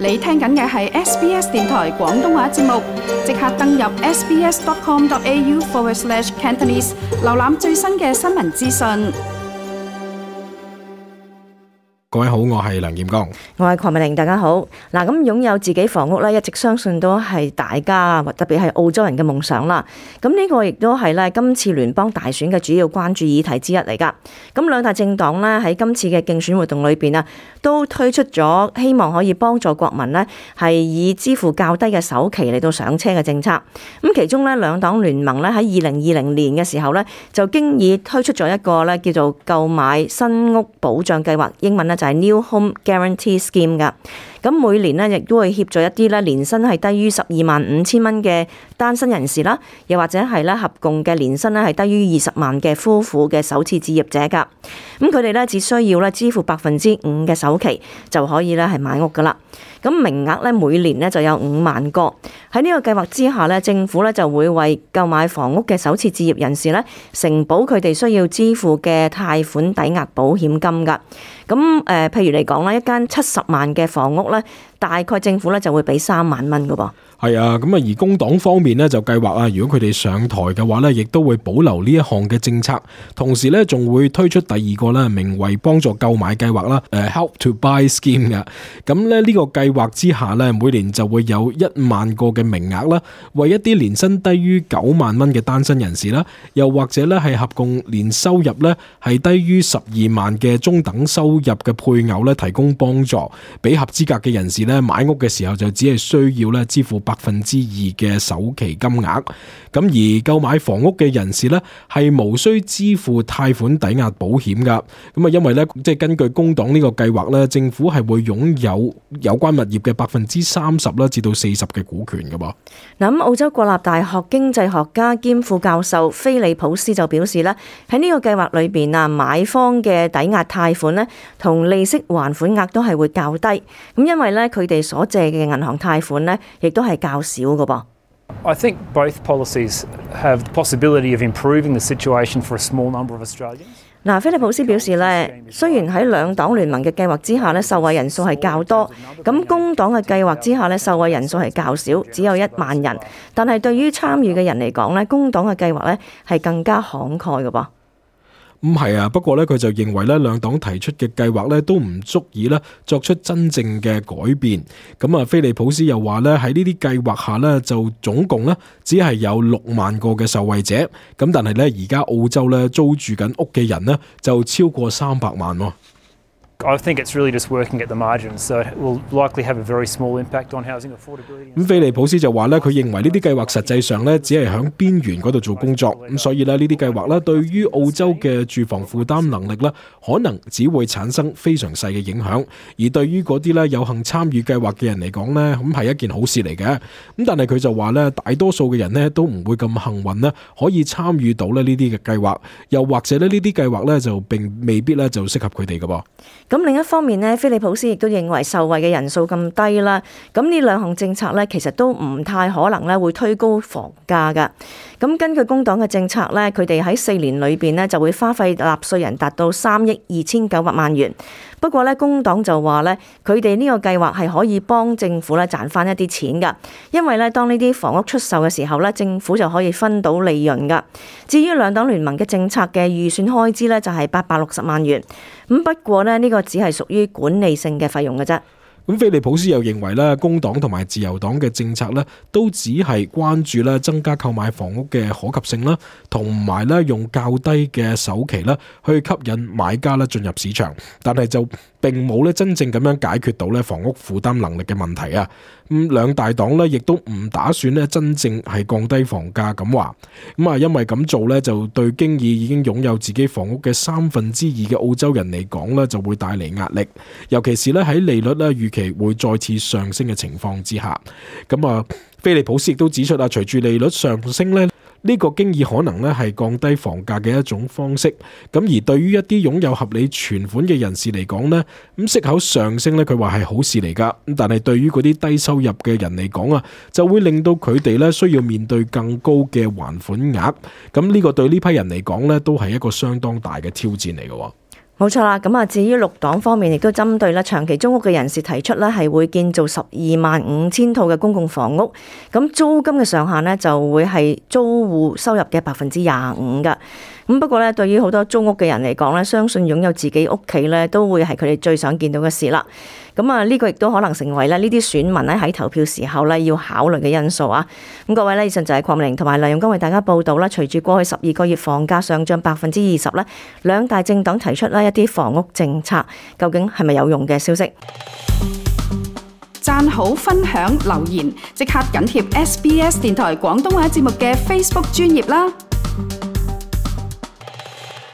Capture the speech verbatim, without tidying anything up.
你聽緊嘅係 S B S 電台廣東話節目，即刻登入 sbs.com.au forward slash Cantonese， 瀏覽最新嘅新聞資訊。各位好，我係梁劍剛，我係鄺美玲，大家好。嗱，咁擁有自己房屋咧，一直相信都係大家，特別係澳洲人嘅夢想啦。咁呢個亦都係咧今次聯邦大選嘅主要關注議題之一嚟噶。咁兩大政黨咧喺今次嘅競選活動裏邊啊，都推出咗希望可以幫助國民咧係以支付較低嘅首期嚟到上車嘅政策。咁其中咧兩黨聯盟咧喺二零二零年嘅時候咧就經已推出咗一個咧叫做購買新屋保障計劃，英文咧就係 New Home Guarantee Scheme 噶。咁每年咧亦都會協助一啲咧年薪係低於十二萬五千蚊嘅單身人士啦，又或者係咧合共嘅年薪咧係低於二十萬嘅夫婦嘅首次置業者噶。咁佢哋咧只需要咧支付百分之五嘅首期就可以咧係買屋噶啦。咁名額咧每年咧就有五萬個。喺呢個計劃之下咧，政府咧就會為購買房屋嘅首次置業人士咧承保佢哋需要支付嘅貸款抵押保險金噶。咁誒、呃，譬如嚟講啦，一間七十萬嘅房屋咧，大概政府咧就會俾三萬蚊噶噃。係啊，咁啊，而工黨方面呢，就計劃啊，如果佢哋上台嘅話呢，亦都會保留呢一項嘅政策，同時呢，仲會推出第二個呢，名為幫助購買計劃啦，誒 Help to Buy Scheme 嘅。咁咧呢個計劃之下呢，每年就會有一萬個嘅名額啦，為一啲年薪低於九萬蚊嘅單身人士啦，又或者呢係合共年收入呢係低於十二萬嘅中等收入嘅配偶呢提供幫助，俾合資格嘅人士呢買屋嘅時候就只係需要呢支付百分之二嘅首期金額，咁而購買房屋嘅人士呢，係無需支付貸款抵押保險噶。咁啊，因為呢，即係根據工黨呢個計劃呢，政府係會擁有有關物業嘅百分之三十啦至到四十嘅股權噶噃。嗱，咁澳洲國立大學經濟學家兼副教授菲利普斯就表示咧，喺呢個計劃裏邊啊，買方嘅抵押貸款呢，同利息還款額都係會較低。咁因為咧，佢哋所借嘅銀行貸款呢，亦都係較少嘅噃。I think both policies have the possibility of improving the situation for a small number of Australians. 嗱，菲利普斯表示咧，雖然喺兩黨聯盟嘅計劃之下咧，受惠人數係較多，咁工黨嘅計劃之下咧，受惠人數係較少，只有一萬人。但係對於參與嘅人嚟講咧，工黨嘅計劃咧係更加慷慨嘅噃。咁係啊，不過咧佢就認為咧兩黨提出嘅計劃咧都唔足以咧作出真正嘅改變。咁啊，菲利普斯又話咧喺呢啲計劃下咧就總共咧只係有六萬個嘅受惠者。咁但係咧而家澳洲咧租住緊屋嘅人咧就超過三百萬喎。I think it's really just working at the margins, so it will likely have a very small impact on housing affordability. 咁菲利普斯就話咧，佢認為呢啲計劃實際上咧只係響邊緣嗰度做工作，咁所以咧呢啲計劃咧對於澳洲嘅住房負擔能力咧，可能只會產生非常細嘅影響。而對於嗰啲咧有幸參與計劃嘅人嚟講咧，咁係一件好事嚟嘅。咁但係佢就話咧，大多數嘅人咧都唔會咁幸運咧，可以參與到咧呢啲嘅計劃，又或者咧呢啲計劃咧就並未必咧就適合佢哋嘅噃。咁另一方面呢，菲利普斯亦都認為受惠嘅人數咁低啦，咁呢兩項政策呢，其實都唔太可能咧會推高房價噶。咁根據工黨嘅政策呢，佢哋喺四年裏邊呢就會花費納稅人達到三億二千九百萬元。不過呢，工黨就話呢，佢哋呢個計劃係可以幫政府咧賺翻一啲錢噶，因為呢，當呢啲房屋出售嘅時候呢，政府就可以分到利潤噶。至於兩黨聯盟嘅政策嘅預算開支呢，就係八百六十萬元。咁不過呢，呢個只係屬於管理性嘅費用嘅啫。咁菲利普斯又認為咧，工黨同埋自由黨嘅政策咧，都只係關注咧增加購買房屋嘅可及性啦，同埋咧用較低嘅首期啦，去吸引買家咧進入市場，但係就並冇咧真正咁樣解決到咧房屋負擔能力嘅問題啊。咁兩大黨咧亦都唔打算咧真正係降低房價咁話。咁啊，因為咁做咧就對經已已經擁有自己房屋嘅三分之二嘅澳洲人嚟講咧，就會帶嚟壓力，尤其是咧喺利率咧預期會再次上升嘅情況之下。咁啊，菲利普斯亦都指出啊，隨住利率上升咧，呢個經已可能咧係降低房價嘅一種方式。咁而對於一啲擁有合理存款嘅人士嚟講呢，咁息口上升咧，佢話係好事嚟噶。咁但係對於嗰啲低收入嘅人嚟講啊，就會令到佢哋咧需要面對更高嘅還款額。咁呢個對呢批人嚟講咧，都係一個相當大嘅挑戰嚟嘅。冇錯啦，咁啊，至於綠黨方面，亦都針對咧長期租屋嘅人士提出咧，係會建造十二萬五千套嘅公共房屋，咁租金嘅上限呢，就會係租戶收入嘅百分之廿五噶。咁不過咧，對於好多租屋嘅人嚟講咧，相信擁有自己屋企咧，都會係佢哋最想見到嘅事啦。咁啊，呢個亦都可能成為咧呢啲選民咧喺投票時候咧要考慮嘅因素啊。咁各位咧，以上就係鄺美玲同埋梁永江為大家報道啦。隨住過去十二個月房價上漲百分之二十咧，兩大政黨提出咧一啲房屋政策，究竟係咪有用嘅消息？讚好、分享、留言，即刻緊貼 S B S 電台廣東話節目嘅 Facebook 專頁啦！